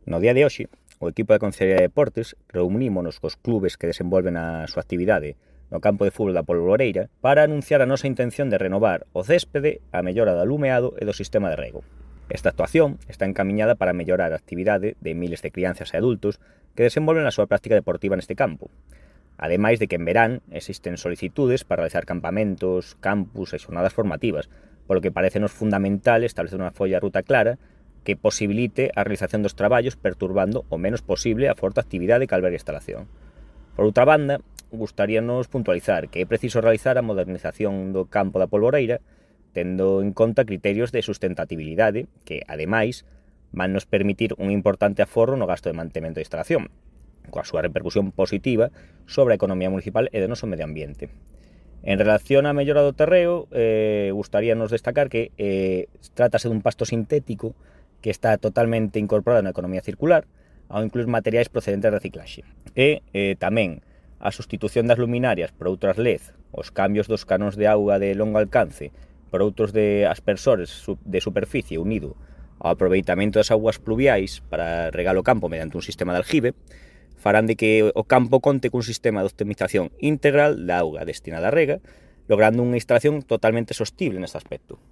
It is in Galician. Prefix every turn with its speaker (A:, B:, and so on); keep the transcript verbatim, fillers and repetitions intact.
A: No día de hoxe, o equipo da Concellería de Deportes reunímonos cos clubes que desenvolven a súa actividade no campo de fútbol da Polvoreira para anunciar a nosa intención de renovar o céspede, a mellora do alumeado e do sistema de rego. Esta actuación está encamiñada para mellorar a actividade de miles de crianzas e adultos que desenvolven a súa práctica deportiva neste campo. Ademais de que en verán existen solicitudes para realizar campamentos, campus e xornadas formativas, polo que parecenos fundamental establecer unha folla de ruta clara que posibilite a realización dos traballos perturbando o menos posible a forte actividade que alberga a instalación. Por outra banda, gustaríanos puntualizar que é preciso realizar a modernización do campo da Polvoreira tendo en conta criterios de sustentabilidade que, ademais, van nos permitir un importante aforro no gasto de mantemento da instalación, coa súa repercusión positiva sobre a economía municipal e do noso medio ambiente. En relación á mellora do terreo, eh, gustaríanos destacar que eh, trátase dun pasto sintético que está totalmente incorporado na economía circular, ao incluir materiais procedentes de reciclaxe. E eh, tamén a sustitución das luminarias por outras L E D, os cambios dos canóns de auga de longo alcance por outros de aspersores de superficie unido ao aproveitamento das augas pluviais para regar o campo mediante un sistema de aljibe, farán de que o campo conte cun sistema de optimización integral da auga destinada á rega, logrando unha instalación totalmente sostible neste aspecto.